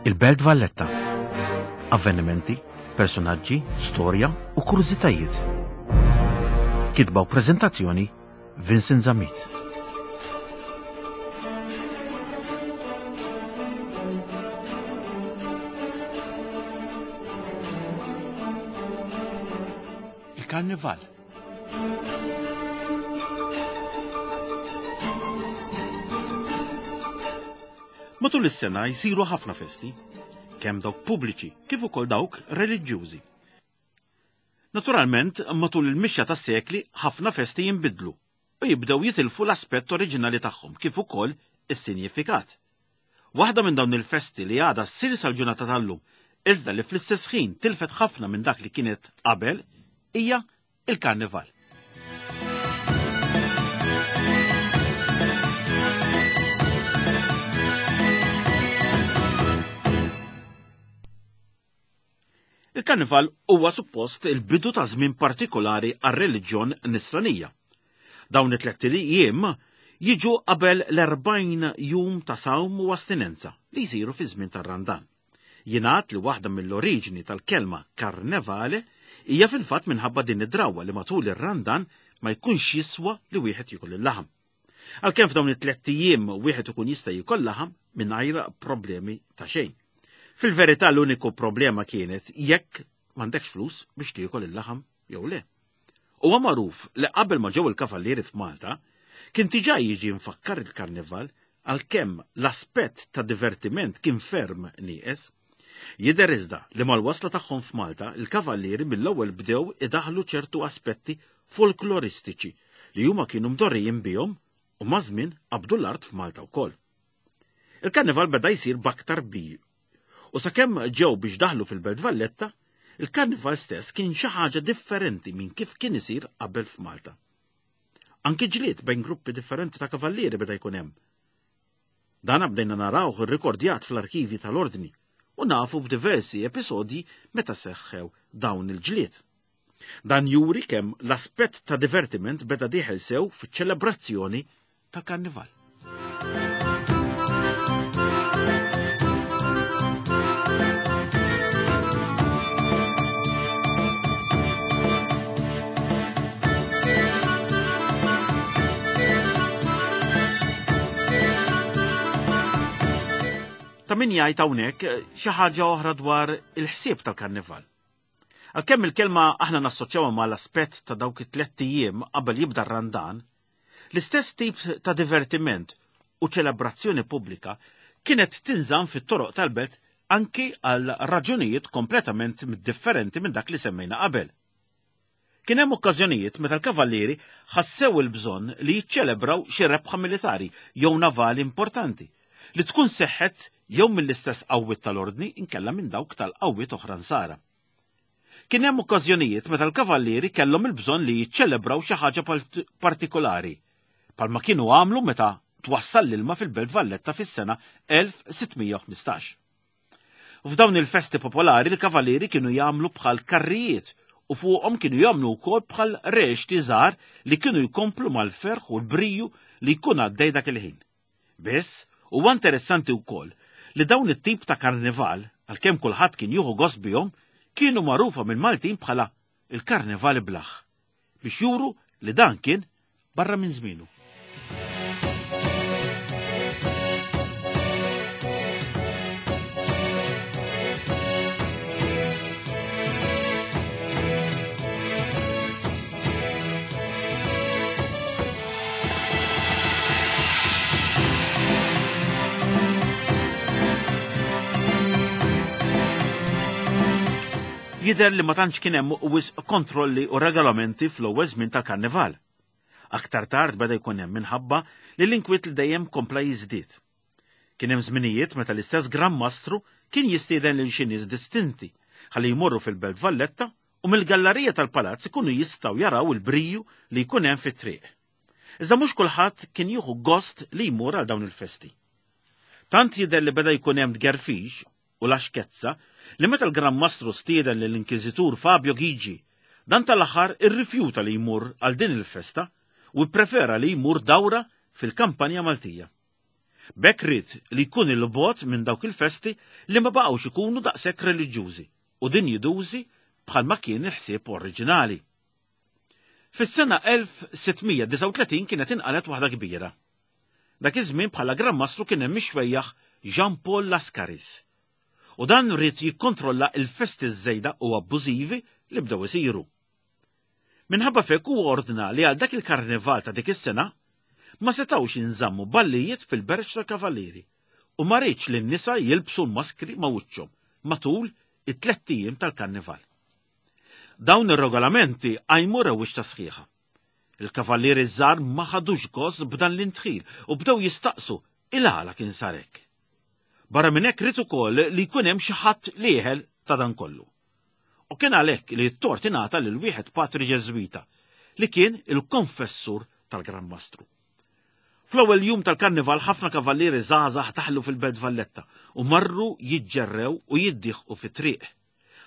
Il-Belt Valletta. Avvenimenti, personaġġi, storja u kurżitajiet. Kitba u preżentazzjoni Vincent Zammit. Il-Karnival. Matul is-sena jsiru ħafna festi, kemm dawk pubbliċi kif ukoll dawk reliġjużi. Naturalment, matul il-mixja tas-sekli ħafna festi jinbidlu u jibdew jitilfu l-aspett oriġinali tagħhom kif ukoll is-sinjifikat. Waħda minn dawn il-festi li għadha ssir sal-ġurnata tal-lum, iżda li fl-istess ħin tilfet ħafna minn dak li kienet qabel, hija il-Karnival. Il-Karnival huwa suppost il-bidu ta' żmien partikolari għar-reliġjon Nisranija. Dawn it-tlett ijiem jiġu qabel l-40 jum ta' sawm u astinenza li jsiru fi żmien tar-Randan. Jingħad li waħda mill-oriġini tal-kelma karnevale hija fil-fatt minħabba din id-drawwa li matul ir-Randan ma jkunx jiswa li wieħed jiekol il-laħam. Għalkemm f'dawn it-tlett ijiem wieħed ikun jista' jiekol laħam mingħajr problemi ta' xejn. Fil-verità l-uniku problema kienet jekk m'għandekx flus biex tiekol il-laħam jew le. Huwa magħruf li qabel ma ġew il-kavallieri f'Malta, kien diġà jiġi mfakkar il-karnival għalkemm l-aspett ta' divertiment kien ferm nieqes. Jidher iżda li mal-wasla tagħhom f'Malta, il-kavallieri mill-ewwel bdew idaħħlu ċertu aspetti folkloristiċi li huma kienu mdorrijin bihom u maż-żmien qabdu l-art f'Malta wkoll. Il-karnival beda jsir b'aktar bi u sakemm ġew biex daħlu fil-Belt Valletta, il-karnival stess kien xi ħaġa differenti minn kif kien isir qabel f'Malta. Anki ġlied bejn gruppi differenti ta' kavallieri beda jkun hemm. Dan bdejna narawh irrikordjat fl-arkivji tal-Ordni u nafu b'diversi episodji meta seħħew dawn il-ġlied. Dan juri kemm l-aspett ta' divertiment beda dieħel sew fiċ-ċelebrazzjoni tal-Karnival. Ta' min jgħid hawnhekk xi ħaġa oħra dwar il-ħsieb tal-Karnival. Għalkemm il-kelma aħna nassoċjawha mal-aspett ta' dawk it-tlett ijiem qabel jibda r-Randan, l-istess tip ta' divertiment u ċelebrazzjoni pubblika kienet tinżamm fit-toroq tal-belt anki għal raġunijiet kompletament differenti minn dak li semmejna qabel. Kien hemm okkażjonijiet meta l-kavallieri ħassew il-bżonn li jiċċelebraw xi rebħa militari jew navali importanti li tkun seħħet jew mill-istess qawwiet tal-Ordni inkella minn dawk tal-qawwiet oħra Nsara. Kien hemm okkażjonijiet meta l-kavallieri kellhom il-bżonn li jiċċelebraw xi ħaġa partikolari, bħalma kienu għamlu meta twassal l-ilma fil-Belt Valletta fis-sena 1615. F'dawn il-festi popolari l-kavalieri kienu jagħmlu bħal karrijiet u fuqhom kienu jagħmlu wkoll bħal reċti żgħar li kienu jkomplu mal-ferħ u l-briju li jkun għaddej dak il-ħin. Biss, huwa interessanti wkoll li dawn it-tip ta' karnival, għalkemm kulħadd kien jieħu gost bihom, kienu magħrufa mill-Maltin bħala il-karnival iblah. biex juru li dan kien barra minn żmienu. Jidher li ma tantx kien hemm wisq kontrolli u regolamenti fl-ewwel żmien tal-Karnival. Aktar tard beda jkun hemm minħabba li l-inkwiet li dejjem kompla jiżdied. Kien hemm żminijiet meta l-istess Gran Mastru kien jistieden lil xi nies distinti ħalli jmorru fil-Belt Valletta u mill-gallarija tal-palazz ikunu jistgħu jaraw il-briju li jkun hemm fit-triq. Iżda mhux kulħadd kien jieħu gost li jmur għal dawn il-festi. Tant jidher li beda jkun hemm tgerfix u laxkezza li meta l-Gran Mastru stieden lill-Inkwiżitur Fabio Ghigi, dan tal-aħħar irrifjuta li jmur għal din il-festa u pprefera li jmur dawra fil-kampanja Maltija. B'hekk ried li jkun 'il bogħod minn dawk il-festi li ma baqgħux ikunu daqshekk reliġjużi u dinjidużi bħalma kien il-ħsieb oriġinali. Fis-sena 1639 kienet inqalgħet waħda kbira. Dak iż-żmien bħala Gran Mastru kien hemm ix-xwejjaħ Jean Paul Lascaris. U dan ried jikkontrolla l-festi ż-żejda u abbużivi li bdew isiru. Minħabba f'hekk huwa ordna li għal dak il-karnival ta' dik is-sena ma setgħux jinżammu ballijiet fil-Berġ tal-Kavallieri u ma riedx li n-nisa jilbsu l-maskri ma' wiċċhom matul it-tlett ijiem tal-karnival. Dawn ir-regolamenti qajmu rewwixta sħiħa. Il-kavallieri ż-żgħar ma ħadux gost b'dan l-indħil u bdew jistaqsu il-għala kien sar hekk. Barra minn hekk ried ukoll li jkun hemm xi ħadd li jeħel ta' dan kollu. U kien għalhekk li t-tort ingħata lil wieħed patri Ġeżwita, li kien il-konfessur tal-Gran Mastru. Fl-ewwel jum tal-Karnival ħafna kavallieri żgħażagħ daħlu fil-Belt Valletta u marru jiġġerrew u jiddieħqu fit-triq.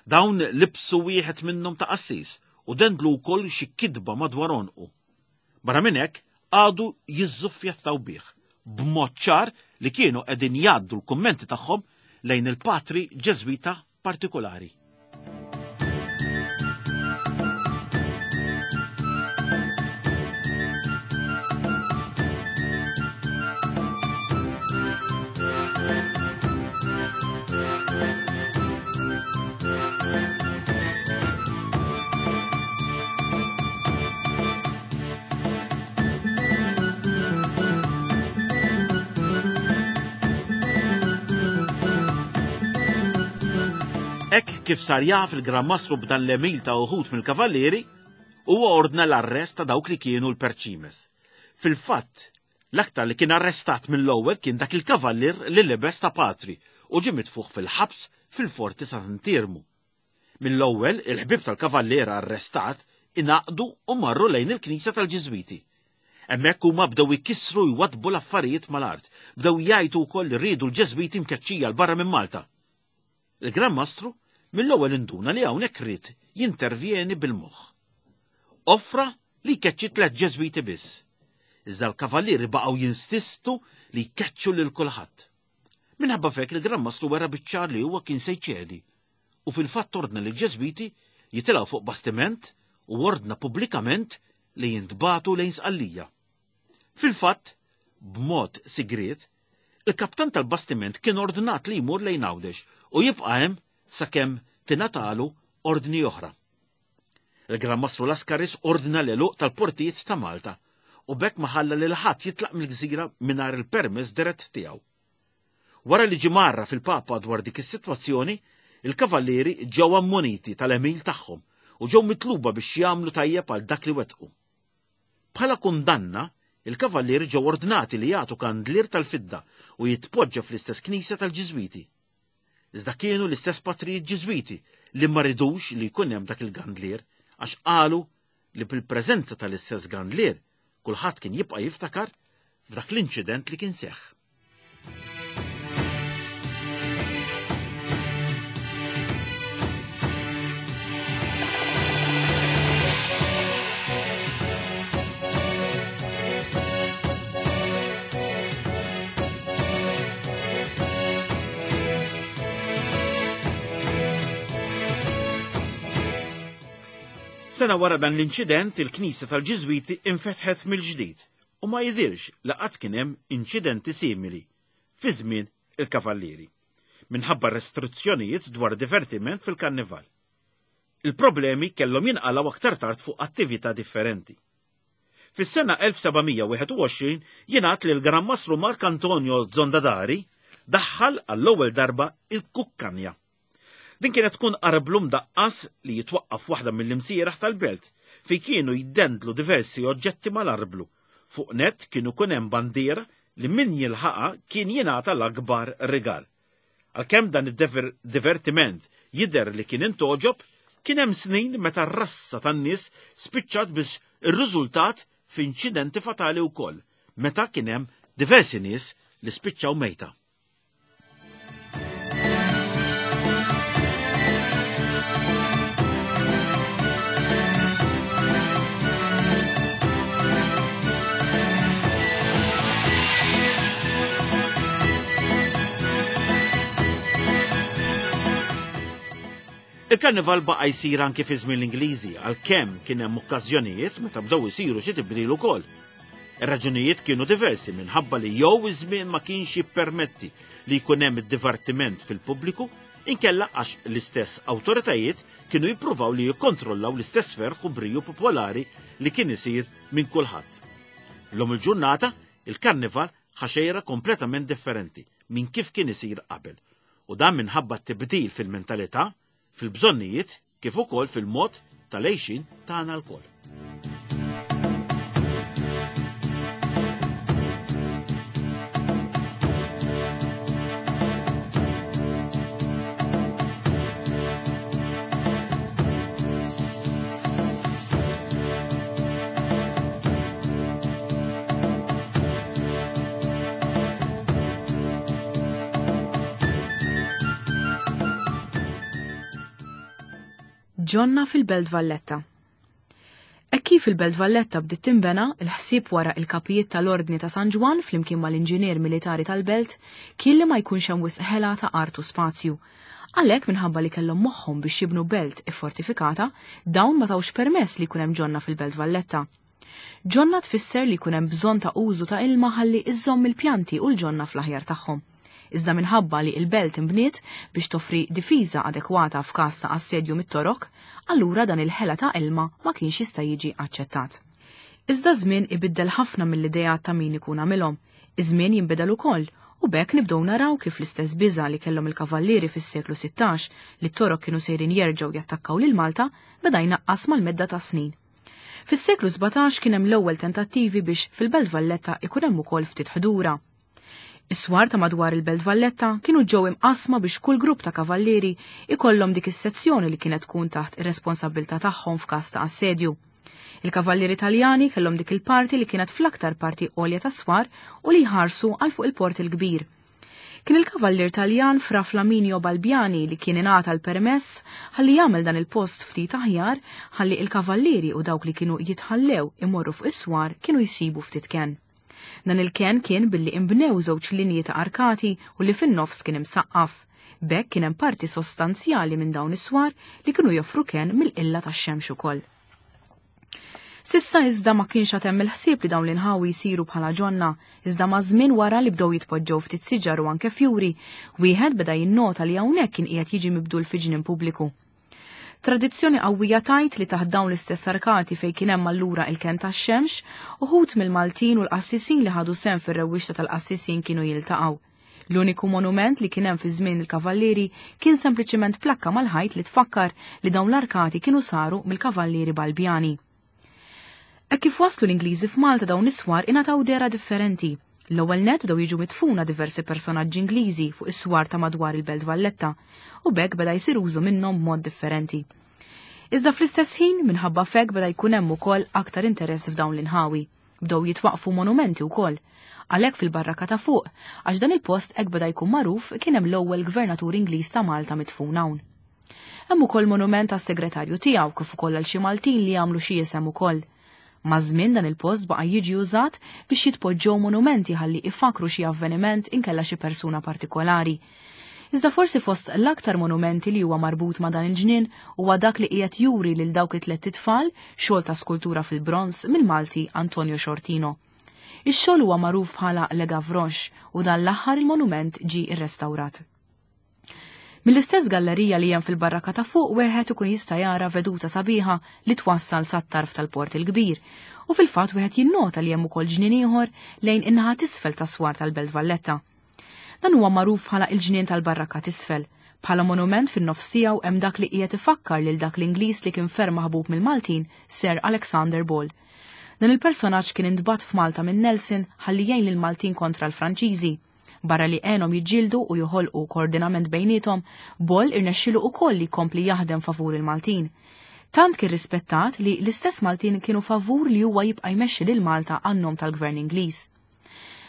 Dawn libsu wieħed minnhom ta' qassis u dendlu wkoll xi kitba madwar għonqu. Barra minn hekk, qagħdu jiżżuffjettaw bih, b'mod ċar li kienu qegħdin jgħaddu l-kummenti tagħhom lejn il-patri Ġeżwita partikulari. Hekk kif sar jaf il-Gran Mastru b'dan l-għemil ta' uħud mill-kavallieri, huwa ordna l-arrest ta' dawk li kienu l-perċimes. Fil-fatt, l-aktar li kien arrestat mill-ewwel kien dak il-kavallier li libes ta' patri u ġie mitfugħ fil-ħabs fil-Forti Sant'Iermu. Mill-ewwel, il-ħbieb tal-kavallier arrestat ingħaqdu u marru lejn il-knisja tal-Ġiżwiti. Hemmhekk huma bdew ikissru u jwaddbu l-affarijiet mal-art, bdew jgħajtu wkoll li riedu l-Ġeżwiti mkeċċija 'l barra minn Malta. Il-Gran Mastru mill-ewwel induna li hawnhekk ried jintervjeni bil-moħħ. Offra li jkeċċi tlett Ġeżwiti biss. Iżda l-kavallieri baqgħu jinsistu li jkeċċu lil kulħadd. Minħabba f'hekk il-Gran Mastru wera biċ-ċar li huwa kien se jċedi u fil-fatt ordna lill-Ġeżwiti jitilgħu fuq bastiment u ordna pubblikament li jintbagħtu lejn Sqallija. Fil-fatt, b'mod sigriet, il-kaptan tal-bastiment kien ordnat li jmur lejn Għawdex u jibqa' hemm sakemm tingħatalu ordni oħra. Il-Gran Mastru Lascaris ordna l-għeluq tal-portijiet ta' Malta u b'hekk ma ħalla lil ħadd jitlaq mill-gżira mingħajr il-permess dirett tiegħu. Wara li ġie mgħarraf il-Papa dwar dik is-sitwazzjoni, il-kavallieri ġew ammoniti tal-għemil tagħhom u ġew mitluba biex jagħmlu tajjeb għal dak li wettqu. Bħala kundanna, il-kavallieri ġew ordnati li jagħtu kandlier tal-fidda u jitpoġġa fl-istess knisja tal-Ġiżwiti. Iżda kienu l-istess patrijiet Ġiżwiti li ma ridux li jkun hemm dak il-gandlier għax qalu li bil-preżenza tal-istess gandlier kulħadd kien jibqa' jiftakar f'dak l-inċident li kien seħħ. Sena wara dan l-inċident, il-Knisja tal-Ġiżwiti infetħet mill-ġdid u ma jidhirx li qatt kien hemm inċidenti simili fi żmien il-Kavallieri, minħabba restrizzjonijiet dwar divertiment fil-Karnival. Il-problemi kellhom jinqalgħu aktar tard fuq attività differenti. Fis-sena 1721 jingħad li l-Gran Mastru Mark Antonio Zondadari daħħal għall-ewwel darba il-kukkanja. Din kienet tkun arblu mdaqqas li jitwaqqaf waħda mill-imsieraħ tal-belt fejn kienu jiddendlu diversi oġġetti mal-arblu. Fuq nett kien ikun hemm bandiera li min jilħaqha kien jingħata l-akbar rigal. Għalkemm dan id-divertiment jidher li kien intgħoġob, kien hemm snin meta r-rassa tan-nies spiċċat biex irriżultat f'inċidenti fatali wkoll, meta kien hemm diversi nies li spiċċaw mejta. Il-karnival baqa' jsir anki fi żmien l-Ingliżi għalkemm kien hemm okkażjonijiet meta bdew isiru xi tibdil ukoll. Ir-raġunijiet kienu diversi minħabba li jew iż-żmien ma kienx jippermetti li jkun hemm id-divertiment fil-pubbliku, inkella għax l-istess awtoritajiet kienu jippruvaw li jikkontrollaw l-istess ferħ u briju popolari li kien isir minn kulħadd. Illum il-ġurnata, il-karnival ħa xejra kompletament differenti minn kif kien isir qabel u dan minħabba t-tibdil fil-mentalità, fil-bżonnijiet kif ukoll fil-mod tal-għejxin tagħna lkoll. Ġonna fil-Belt Valletta. Hekk kif il-Belt Valletta bdiet tinbena, il-ħsieb wara il-kapijiet tal-Ordni ta' San Ġwann flimkien mal-inġinier militari tal-belt kien li ma jkunx hemm wisq ħela ta' art u spazju. Għalhekk minħabba li kellhom moħħhom biex jibnu belt iffortifikata, dawn ma tawx permess li jkun hemm ġonna fil-Belt Valletta. Ġonna tfisser li jkun hemm bżonn ta' użu ta' ilma ħalli iżżomm il-pjanti u l-ġonna fl-aħjar tagħhom. Iżda minħabba li il-belt inbniet biex toffri difiża adekwata f'każ ta' assedju mit-Torok, allura dan il-ħela ta' ilma ma kienx jista' jiġi aċċettat. Iżda ż-żmien ibiddel ħafna mill-ideat ta' min ikun għamilhom. Iż-żmien jinbidel ukoll u b'hekk nibdew naraw kif l-istess biża' li kellhom il-kavallieri fis-seklu 16 li t-Torok kienu sejrin jerġgħu jattakkaw lil Malta beda jnaqqas mal-medda tas-snin. Fis-seklu 17 kien hemm l-ewwel tentattivi biex fil-Belt Valletta ikun hemm ukoll ftit ħdura. Is-swar ta' madwar il-Belt Valletta kienu ġew imqassma biex kull grupp ta' kavallieri ikollhom dik is-sezzjoni li kienet tkun taħt ir-responsabbiltà tagħhom f'każ ta' assedju. Il-kavallieri Taljani kellhom dik il-parti li kienet fl-aktar parti għolja tas-swar u li jħarsu għal fuq il-Port il-Kbir. Kien il-kavallier Taljan Fra Flaminio Balbiani li kien ingħata l-permess ħalli jagħmel dan il-post ftit aħjar ħalli il-kavallieri u dawk li kienu jitħallew imorru fuq is-swar kienu jsibu ftit kenn. Dan il-kenn kien billi inbnew żewġ linji ta' arkati u li fin-nofs kien imsaqqaf. B'hekk kien hemm parti sostanzjali minn dawn is-swar li kienu joffru kenn mill-qilla tax-xemx ukoll. S'issa iżda ma kienx għad hemm il-ħsieb li dawn l-inħawi jsiru bħala ġonna, iżda maż-żmien wara li bdew jitpoġġew ftit siġar u anke fjuri, wieħed beda jinnota li hawnhekk kien qiegħed jiġi mibdul fi ġnien pubbliku. Tradizzjoni qawwija tgħid li taħt dawn l-istess arkati fejn kien hemm allura il-kenn tax-xemx, uħud mill-Maltin u l-qassisin li ħadu sehem fir-rewwixta tal-qassisin kienu jiltaqgħu. L-uniku monument li kien hemm fi żmien il-Kavallieri kien sempliċement plakka mal-ħajt li tfakkar li dawn l-arkati kienu saru mill-Kavallieri Balbjani. Hekk kif waslu l-Ingliżi f'Malta dawn is-swar ingħataw dehra differenti. L-ewwel nett bdew jiġu midfuna diversi personaġġi Ingliżi fuq is-swar ta' madwar il-Belt Valletta u b'hekk beda jsir użu minnhom b'mod differenti. Iżda fl-istess ħin, minħabba f'hekk beda jkun hemm ukoll aktar interess f'dawn l-inħawi. Bdew jitwaqqfu monumenti wkoll. Għalhekk fil-barrakka ta' fuq, għax dan il-post hekk beda jkun magħruf, kien hemm l-ewwel gvernatur Ingliż ta' Malta midfun hawn. Hemm ukoll monument għas-segretarju tiegħu kif ukoll għal xi Maltin li għamlu xi isem ukoll. Maż-żmien dan il-post baqa' jiġi użat biex jitpoġġew monumenti ħalli ifakkru xi avveniment inkella xi persuna partikolari. Iżda forsi fost l-aktar monumenti li huwa marbut ma' dan il-ġnien huwa dak li qiegħed juri lil dawk it-tlett itfal, xogħol ta' skultura fil-bronż mill-Malti Antonio Sciortino. Ix-xogħol huwa magħruf bħala Le Gavroche u dan l-aħħar il-monument ġie rrestawrat. Mill-istess gallerija li hemm fil-barrakka ta' fuq wieħed ikun jista' jara veduta sabiħa li twassal sat-tarf tal-Port il-Kbir u fil-fatt wieħed jinnota li hemm ukoll ġnien ieħor lejn in-naħa t'isfel tas-swar tal-Belt Valletta. Dan huwa magħruf bħala il-ġnien tal-Barrakka t'Isfel. Bħala monument fin-nofs tiegħu hemm dak li qiegħed ifakkar lil dak l-Ingliż li kien ferm maħbub mill-Maltin, Sir Alexander Ball. Dan il-personaġġ kien intbagħat f'Malta minn Nelson ħalli jgħin lill-Maltin kontra l-Franċiżi. Barra li għenhom jiġġieldu u joħolqu koordinament bejniethom, Ball irnexxielu ukoll li jkompli jaħdem favur il-Maltin. Tant kien rispettat li l-istess Maltin kienu favur li huwa jibqa' jmexxi lil Malta għan-nom tal-Gvern Ingliż.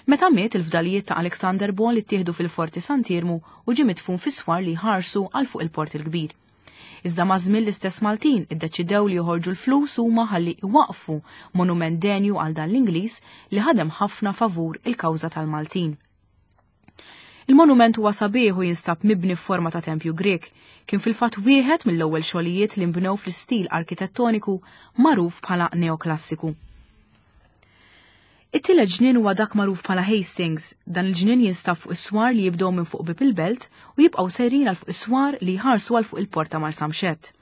Meta miet, il-fdalijiet ta' Alexander Ball ittieħdu fil-Forti Sant'Iermu u ġie midfun fis-swar li jħarsu għal fuq il-Port il-Kbir. Iżda maż-żmien l-istess Maltin iddeċidew li joħorġu l-flus huma ħalli iwaqqfu monument denju għal dan l-Ingliż li ħadem ħafna favur il-kawża tal-Maltin. Il-monument huwa sabiħ u jinstab mibni f'forma ta' tempju Grieg. Kien fil-fatt wieħed mill-ewwel xogħlijiet li nbnew fl-istil arkitettoniku magħruf bħala neoklassiku. It-tielet ġnien huwa dak magħruf bħala Hastings. Dan il-ġnien jinstab fuq is-swar li jibdew minn fuq bieb il-belt u jibqgħu sejrin għal fuq is-swar li jħarsu għal fuq il-port ta' Marsamxett.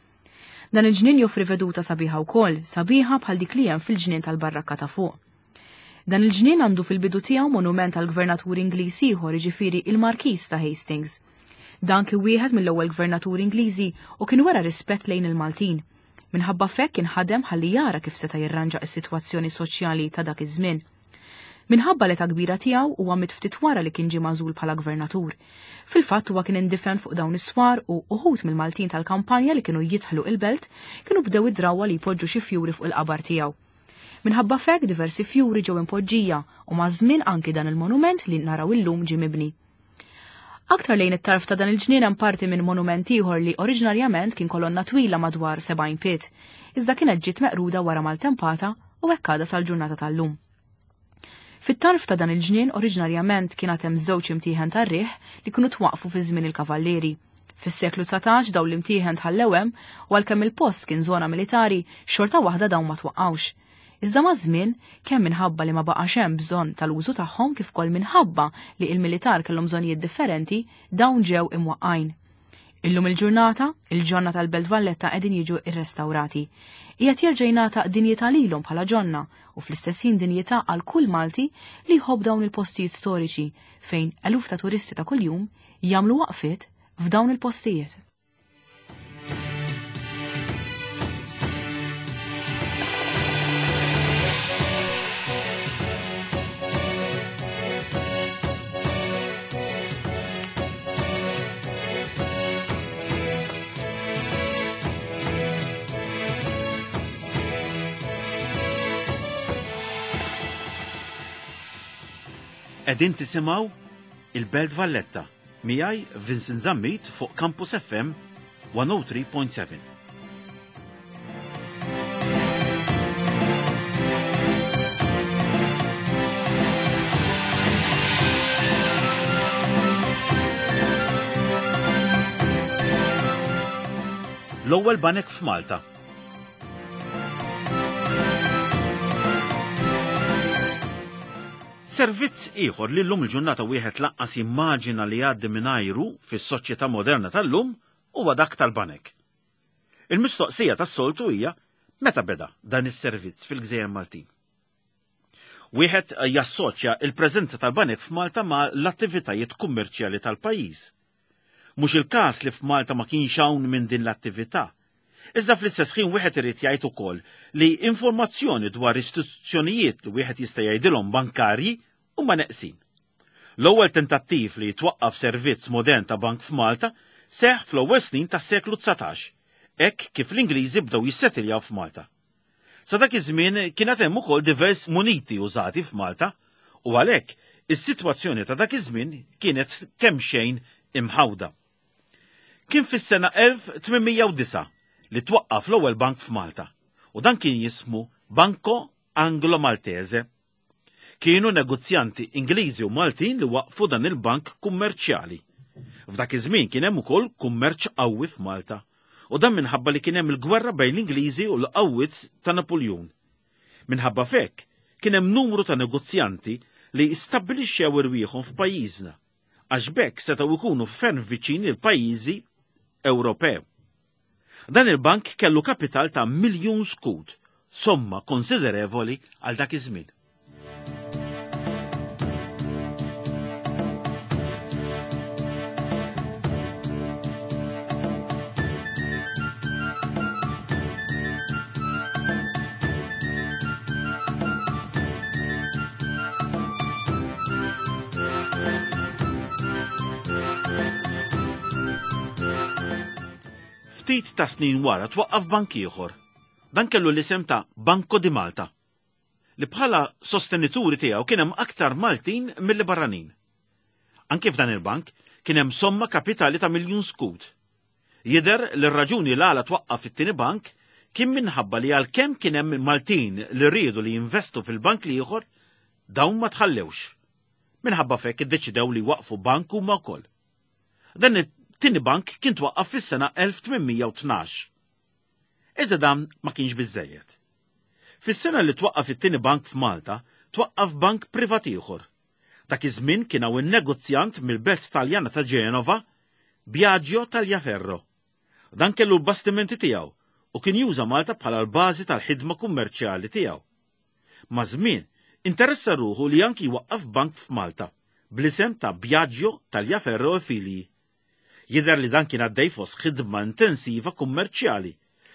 Dan il-ġnien joffri veduta sabiħa wkoll, sabiħa bħal dik li hemm fil-ġnien tal-barrakka ta' fuq. Dan il-ġnien għandu fil-bidu tiegħu monument għal gvernatur Ingliż ieħor, jiġifieri il-Markiż ta' Hastings. Dan kien wieħed mill-ewwel gvernaturi Ingliżi u kien wera rispett lejn il-Maltin. Minħabba f'hekk kien ħadem ħalli jara kif seta' jirranġa s-sitwazzjoni soċjali ta' dak iż-żmien. Minħabba l-età kbira tiegħu huwa miet ftit wara li kien ġie magħżul bħala gvernatur. Fil-fatt huwa kien indifen fuq dawn is-swar u uħud mill-Maltin tal-kampanja li kienu jidħlu il-belt kienu bdew id-drawwa li jpoġġu xi fjuri fuq il-qabar tiegħu. Minħabba f'hekk diversi fjuri ġew impoġġija u maż-żmien anki dan il-monument li naraw illum ġie mibni. Aktar lejn it-tarf ta' dan il-ġnien hemm parti minn monument ieħor li oriġinarjament kien kolonna twila madwar 70 pied, iżda kienet ġiet meqruda wara maltempata u hekk għadha sal-ġurnata tal-lum. Fit-tarf ta' dan il-ġnien oriġinarjament kien għad hemm żewġ imtieħen tar-riħ li kienu twaqqfu fi żmien il-Kavallieri. Fis-seklu 19 dawn l-imtieħen tħallew hemm u għalkemm il-post kien żona militari, xorta waħda dawn ma twaqqgħux. Iżda maż-żmien, kemm minħabba li ma baqax hemm bżonn tal-użu tagħhom kif ukoll minħabba li il-militar kellhom bżonnijiet differenti, dawn ġew imwaqqgħin. Illum il-ġurnata, il-ġonna tal-Belt Valletta qegħdin jiġu rrestawrati. Qiegħed jerġa' jingħata dinjità lilhom bħala ġonna u fl-istess ħin dinjità għal kull Malti li jħobb dawn il-postijiet storiċi fejn eluf ta' turisti ta' kuljum jagħmlu waqfiet f'dawn il-postijiet. Qegħdin tisimgħu il-Belt Valletta miegħi Vincent Zammit fuq Campus FM 103.7. L-ewwel banek f'Malta. Servizz ieħor li llum il-ġurnata wieħed lanqas jimmaġina li jgħaddi mingħajru fis-soċjetà moderna tal-lum huwa dak tal-banek. Il-mistoqsija tas-soltu hija meta beda dan is-servizz fil-Gżejjer Maltin. Wieħed jassoċja il-preżenza tal-banek f'Malta ma' l-attivitajiet kummerċjali tal-pajjiż. Mhux il-każ li f'Malta ma kienx hawn minn din l-attività. Iżda fl-istess ħin wieħed irid jgħid ukoll li informazzjoni dwar istituzzjonijiet li wieħed jista' jgħidilhom bankarji huma neqsin. L-ewwel tentattiv li jitwaqqaf servizz modern ta' bank f'Malta seħħ fl-ewwel snin tas-seklu 19, hekk kif l-Ingliżi bdew jissetiljaw f'Malta. Sa dak iż-żmien kien għad hemm ukoll divers muniti użati f'Malta u għalhekk is-sitwazzjoni ta' dak iż-żmien kienet kemxejn imħawda. Kien fis-sena 1809 li twaqqaf l-ewwel bank f'Malta u dan kien jismu Banco Anglo Maltese. Kienu negozjanti Ingliżi u Maltin li waqqfu dan il-bank kummerċjali. F'dak iż-żmien kien hemm ukoll kummerċ qawwi f'Malta u dan minħabba li kien hemm il-gwerra bejn l-Ingliżi u l-qawwiet ta' Napuljun. Minħabba f'hekk kien hemm numru ta' negozjanti li stabbilixxew irwieħhom f'pajjiżna għax b'hekk setgħu jkunu ferm viċin il-pajjiżi Ewropew. Dan il-bank kellu kapital ta' miljun skud, somma konsiderevoli għal dak iż-żmien. Ftit ta' snin wara twaqqaf bank ieħor. Dan kellu l-isem ta' Banco di Malta, li bħala sostenituri tiegħu kien hemm aktar Maltin milli barranin. Anke f'dan il-bank kien hemm somma kapitali ta' miljun skud. Jidher li r-raġuni l-għala twaqqaf it-tieni bank kien minħabba li għalkemm kien hemm Maltin li riedu li jinvestu fil-bank l-ieħor, dawn ma tħallewx. Minħabba f'hekk iddeċidew li jwaqqfu bank huma wkoll. Dan it-tieni bank kien twaqqaf fis-sena 1812. Iżda dan ma kienx biżżejjed. Fis-sena li twaqqaf it-tieni bank f'Malta, twaqqaf bank privat ieħor. Dak iż-żmien kien hawn in-negozjant mill-belt Taljana ta' Ġenova, Biagio Tagliaferro. Dan kellu l-bastimenti tiegħu u kien juża Malta bħala l-bażi tal-ħidma kummerċjali tiegħu. Maż-żmien, interessa ruħu li anki jwaqqaf bank f'Malta, bl-isem ta' Biagio Tagliaferro e Figli. Jidher li dan kien għaddej fost ħidma intensiva kummerċjali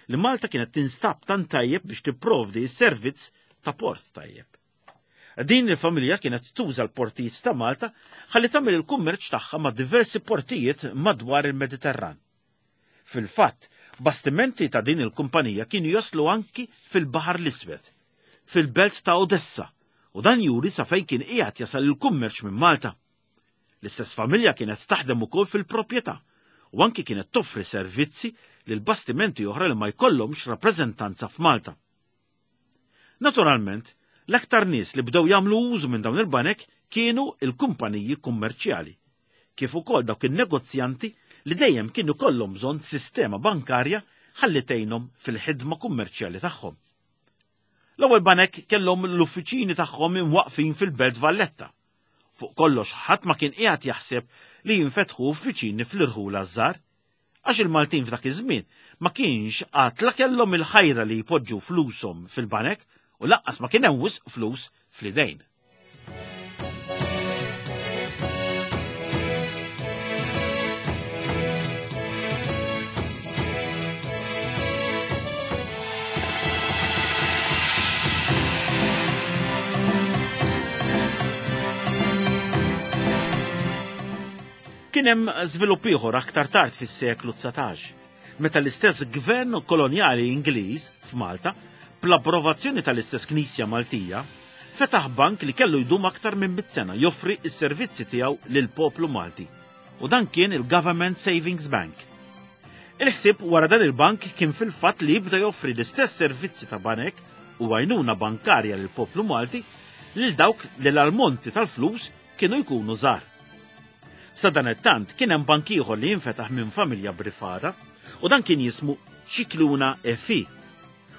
li Malta kienet tinstab tant tajjeb biex tipprovdi s-servizz ta' port tajjeb. Din il-familja kienet tuża l-portijiet ta' Malta ħalli tagħmel il-kummerċ tagħha ma' diversi portijiet madwar il-Mediterran. Fil-fatt, bastimenti ta' din il-kumpanija kienu jaslu anki fil-Baħar l-Iswed, fil-belt ta' Odessa, u dan juri sa fejn kien qiegħed jasal il-kummerċ minn Malta. L-istess familja kienet taħdem ukoll fil-proprjetà u anki kienet toffri servizzi lil bastimenti oħra li ma jkollhomx rappreżentanza f'Malta. Naturalment, l-aktar nies li bdew jagħmlu użu minn dawn il-banek kienu il-kumpaniji kummerċjali, kif ukoll dawk in-negozjanti li dejjem kienu kollhom bżonn sistema bankarja ħalli tgħinhom fil-ħidma kummerċjali tagħhom. L-ewwel banek kellhom l-uffiċini tagħhom imwaqqfin fil-Belt Valletta. Fuq kollox ħadd ma kien qiegħed jaħseb li jinfetħu uffiċini fl-irħula żgħar, għax il-Maltin f'dak iż-żmien ma kienx għad la kellhom il-ħajra li jpoġġu flushom fil-banek u lanqas ma kien hemm wisq flus fl-idejn. Kien hemm żvilupp ieħor aktar tard fis-seklu 19, meta l-istess gvern kolonjali Ingliż f'Malta, bl-approvazzjoni tal-istess Knisja Maltija, fetaħ bank li kellu jdum aktar minn mit sena joffri s-servizzi tiegħu lill-poplu Malti. U dan kien il-Government Savings Bank. Il-ħsieb wara dan il-bank kien fil-fatt li jibda joffri l-istess servizzi ta' banek u għajnuna bankarja lill-poplu Malti lil dawk li l-almonti tal-flus kienu jkunu żgħar. Sadanittant kien hemm bank ieħor li jinfetaħ minn familja privata u dan kien jismu Scicluna e Fi.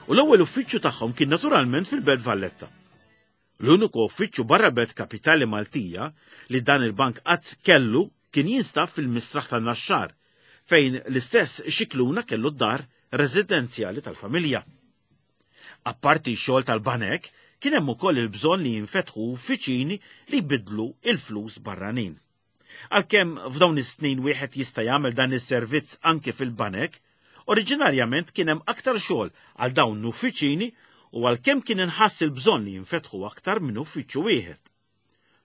U l-ewwel uffiċċju tagħhom kien naturalment fil-Belt Valletta. L-uniku uffiċċju barra belt kapitali Maltija li dan il-bank qatt kellu kien jinstab fil-Misraħ tan-Naxxar, fejn l-istess Scicluna kellu d-dar residenzjali tal-familja. Apparti x-xogħol tal-banek, kien hemm ukoll il-bżonn li jinfetħu uffiċini li jbiddlu il-flus barranin. Għalkemm f'dawn is-snin wieħed jista' jagħmel dan is-servizz anke fil-banek, oriġinarjament kien hemm aktar xogħol għal dawn l-uffiċini u għalkemm kien inħass il-bżonn li jinfetħu aktar minn uffiċċju wieħed.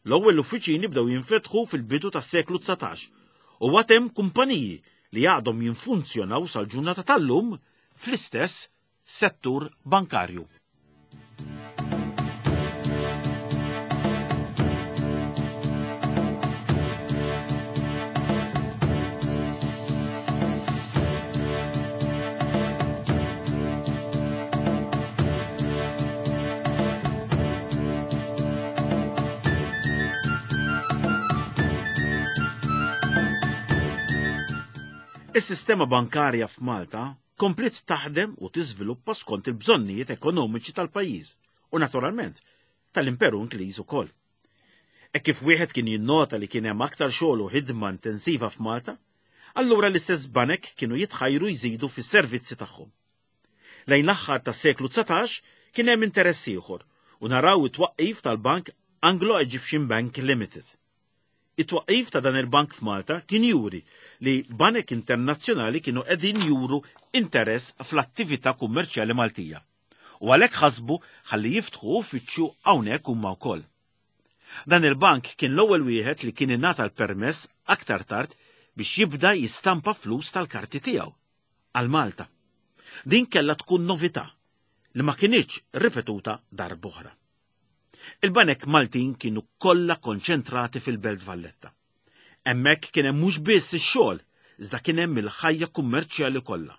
L-ewwel uffiċini bdew jinfetħu fil-bidu tas-seklu 19 u għad hemm kumpaniji li għadhom jinfunzjonaw sal-ġurnata tal-lum fl-istess settur bankarju. Is-sistema bankarja f'Malta kompliet taħdem u tiżviluppa skont il-bżonnijiet ekonomiċi tal-pajjiż u naturalment tal-Imperu Ingliż ukoll. Hekk kif wieħed kien jinnota li kien hemm aktar xogħol u ħidma intensiva f'Malta, allura l-istess banek kienu jitħajru jżidu fis-servizzi tagħhom. Lejn l-aħħar tas-seklu 19 kien hemm interess ieħor u naraw it-twaqqif tal-Bank Anglo-Egyptian Bank Limited. It-twaqqif ta' dan il-bank f'Malta kien juri li banek internazzjonali kienu qegħdin juru interess fl-attività kummerċjali Maltija. U għalhekk ħasbu ħalli jiftħu uffiċċju hawnhekk huma wkoll. Dan il-bank kien l-ewwel wieħed li kien ingħata l-permess aktar tard biex jibda jistampa flus tal-karti tiegħu għal Malta. Din kellha tkun novità li ma kinitx ripetuta darb'oħra. Il-banek Maltin kienu kollha konċentrati fil-Belt Valletta. Hemmhekk kien hemm mhux biss ix-xogħol, iżda kien hemm il-ħajja kummerċjali kollha.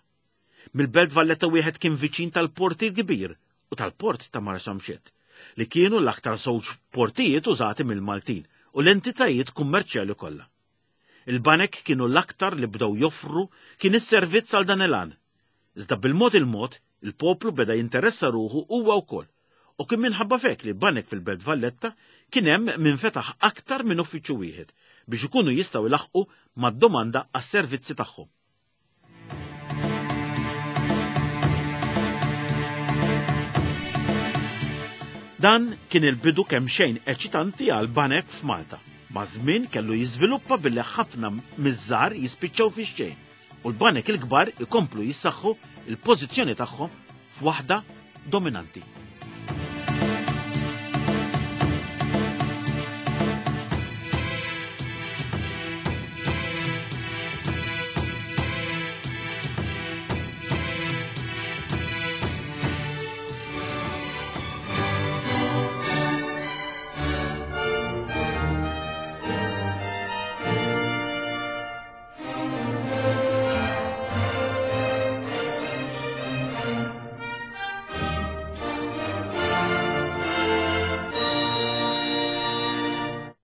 Mill-Belt Valletta wieħed kien viċin tal-Port il-Kbir u tal-Port ta' Marsamxett, li kienu l-aktar żewġ portijiet użati mill-Maltin u l-entitajiet kummerċjali kollha. Il-banek kienu l-aktar li bdew joffru kien is-servizz għal dan il-għan. Iżda bil-mod il-mod, il-poplu beda jinteressa ruħu huwa wkoll u kien minħabba f'hekk li banek fil-Belt Valletta kien hemm min fetaħ aktar minn uffiċċju wieħed biex ikunu jistgħu jlaħħqu mad-domanda għas-servizzi tagħhom. Dan kien il-bidu kemxejn eċitanti għal banek f'Malta. Maż-żmien kellu jiżviluppa billi ħafna miż-żgħar jispiċċaw fix-xejn u l-banek il-kbar ikomplu jissaħħu l-pożizzjoni tagħhom f'waħda dominanti.